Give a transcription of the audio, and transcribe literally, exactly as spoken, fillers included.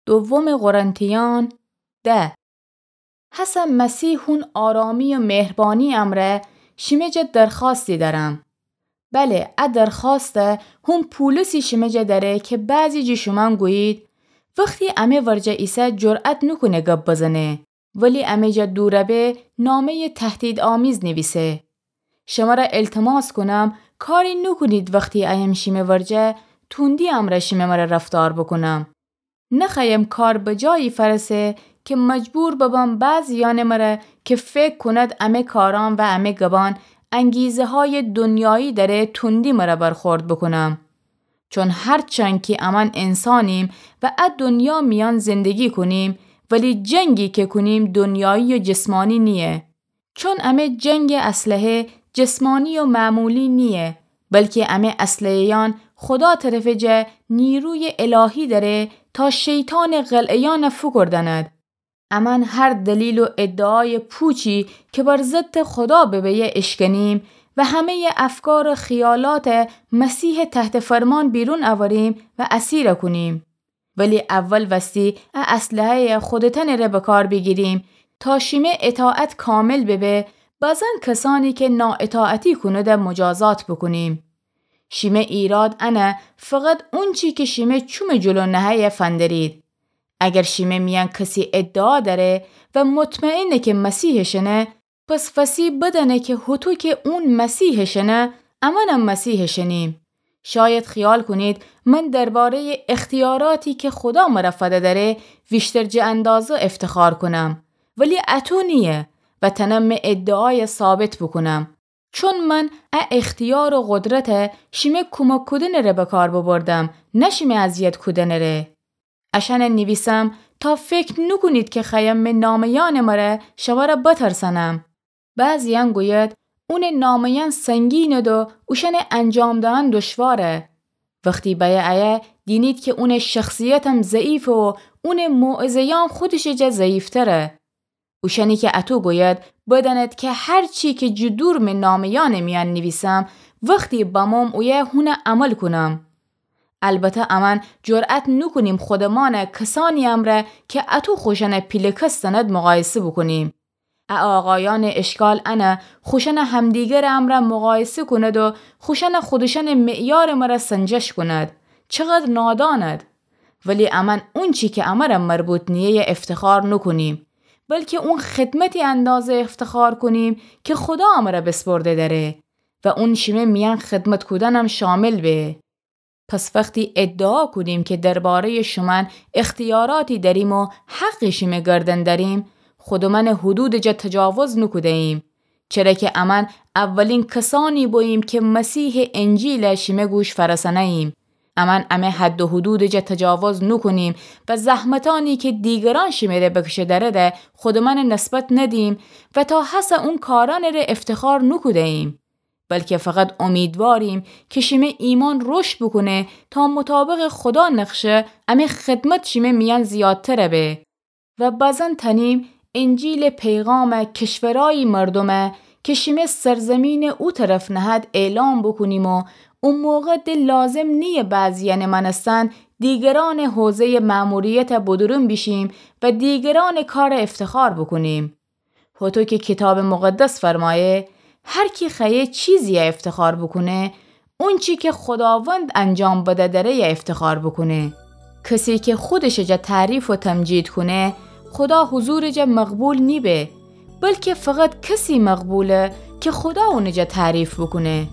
دوم قرنتیان ده. هسه مسیح هون آرامی و مهربانی امرأ شیمه جا درخواستی دأرم. بله، ا درخواسته هون پولسی شیمه جا دأره که بعضی جی شومأن گویید، وختی امه ورجه ایسه جرأت نوکونه گب بزنه، ولی امه جا دوربه نامه‌یٚ تهدیدآمیز نیویسه. شمره التماس کونم، کاری نوکونید وختی ایم شیمه ورجه توندی امرأ شیمه مره رفتار بوکونم. نخوأیم کار به جایی فأرسه که مجبور ببم بعضیأنٚ مره که فکر کونید امه کارأن و امه گبأن انگیزه‌هایٚ دونیایی دأره توندی مره برخورد بوکونم. چون هرچند کی امأن انسانیم و ا دونیا میأن زندگی کونیم، ولی جنگی که کونیم دونیایی و جسمانی نییه. چون امه جنگٚ اسلحه جسمانی و معمولی نییه، بلکی امه اسلحه‌یأن خودا طرفٚ جا نیرویٚ الهی دأره تا شیطانٚ قلعه‌یأن فوکوردأند. امأن هر دلیل و ادعایٚ پوچی که بر ضدٚ خودا ببه اشکنیم و همه‌یٚ افکار و خیالات مسیحٚ تحت فرمان بیرون اوریم و اسیر کونیم. ولی اول وستی ا اسلحه‌یٚ خودتأنٚ ره به کار بیگیریم تا شیمه اطاعت کامل ببه، بزن کسأنی که نااطاعتی کونده مجازات بوکونیم. شیمه ایراد انه فقط اونچی که شیمه چومٚ جلو نهه‌یه فندرید. اگر شیمه میأن کسی ادعا دأره و مطمئنه که مسیحٚ شنه، پس وسی بدأنه که هوطو که اون مسیحٚ شنه، امأنم مسیحٚ شنیم. شاید خیال کونید من درباره‌یٚ اختیاراتی که خودا مره فده دأره ویشتر جٚه اندازه افتخار کونم، ولی اطو نییه و تنم می ادعایه ثابت بوکونم. چون من ا اختیار و قدرته شیمه کومک کودنٚ ره به کار ببردم، نه شیمه اذیت کودنٚ ره. اشأنه نیویسم تا فکر نوکونید که خوأیم می نامه‌یأنٚ مره شمره بترسأنم. بعضیأن گوید، اونٚ نامه‌یأن سنگینید و اوشأنه انجام دهن دشواره. وختی بأیه ایه دینید که اونٚ شخصیتم ضعیفه و اونٚ موعظه‌یأن خودشٚ جا ضعیفتره. اوشأنی که اطو گوید، بدأنید که هرچی که جٚه دور می نامه‌یأنٚ میأن نیویسم، وختی بموم اویه هونه عمل کونم. البته امأن جرأت نوکونیم خودمأنه کسأنی امرأ که اطو خوشأنه پیله کس زنید مقایسه بوکونیم. ا آقایأنٚ اشکال انه خوشأنه همدیگرٚ امرأ مقایسه کونید و خوشأنه خودشأنٚ معیارٚ مره سنجش کونید. چقدر نادانید! ولی امأن اونچی که امره مربوط نییه افتخار نوکونیم، بلکه اون خدمتی اندازه افتخار کونیم که خودا امره بسپرده دأره و اون شیمه میأن خدمت کودنم شامل به. پس وختی ادعا کونیم که درباره‌یٚ شومأن اختیاراتی دأریم و حقی شیمه گردن دأریم، خودمأنٚ حدودٚ جا تجاوز نوکوده‌ییم. چره که امأن اولین کسأنی بوییم که مسیحٚ انجیله شیمه گوش فأرسأنه‌ییم. امأن امه حد و حدودٚ جا تجاوز نوکونیم و زحمتأنی که دیگرأن شیمه ره بکشه دأرده خودمأنٚ نسبت ندیم و تا هسه اون کارأنٚ ره افتخار نوکوده‌ییم. بلکه فقط امیدواریم که شیمه ایمأن رشد بوکونه تا مطابقٚ خودا نقشه امه خدمت شیمه میأن زیادتر به. و بزن تنیم انجیلٚ پیغامه کشورایی مردومه که شیمه سرزمینٚ او طرف نهد اعلام بوکونیم و او موقع ده لازم نییه بعضیأنٚ مأنستن دیگرأنٚ حوزه‌یٚ مأموریته بدورون بیشیم و دیگرأنٚ کاره افتخار بوکونیم. هوطو که کیتابٚ مقدس فرمایه، هر کی خوأیه چیزییه افتخار بوکونه، اونچی که خوداوند انجام بده دأره‌یه افتخار بوکونه. کسی که خودشٚ جا تعریف و تمجید کونه، خودا حضورٚ جا مقبول نیبه، بلکه فقط کسی مقبوله که خودا اونٚ جا تعریف بوکونه.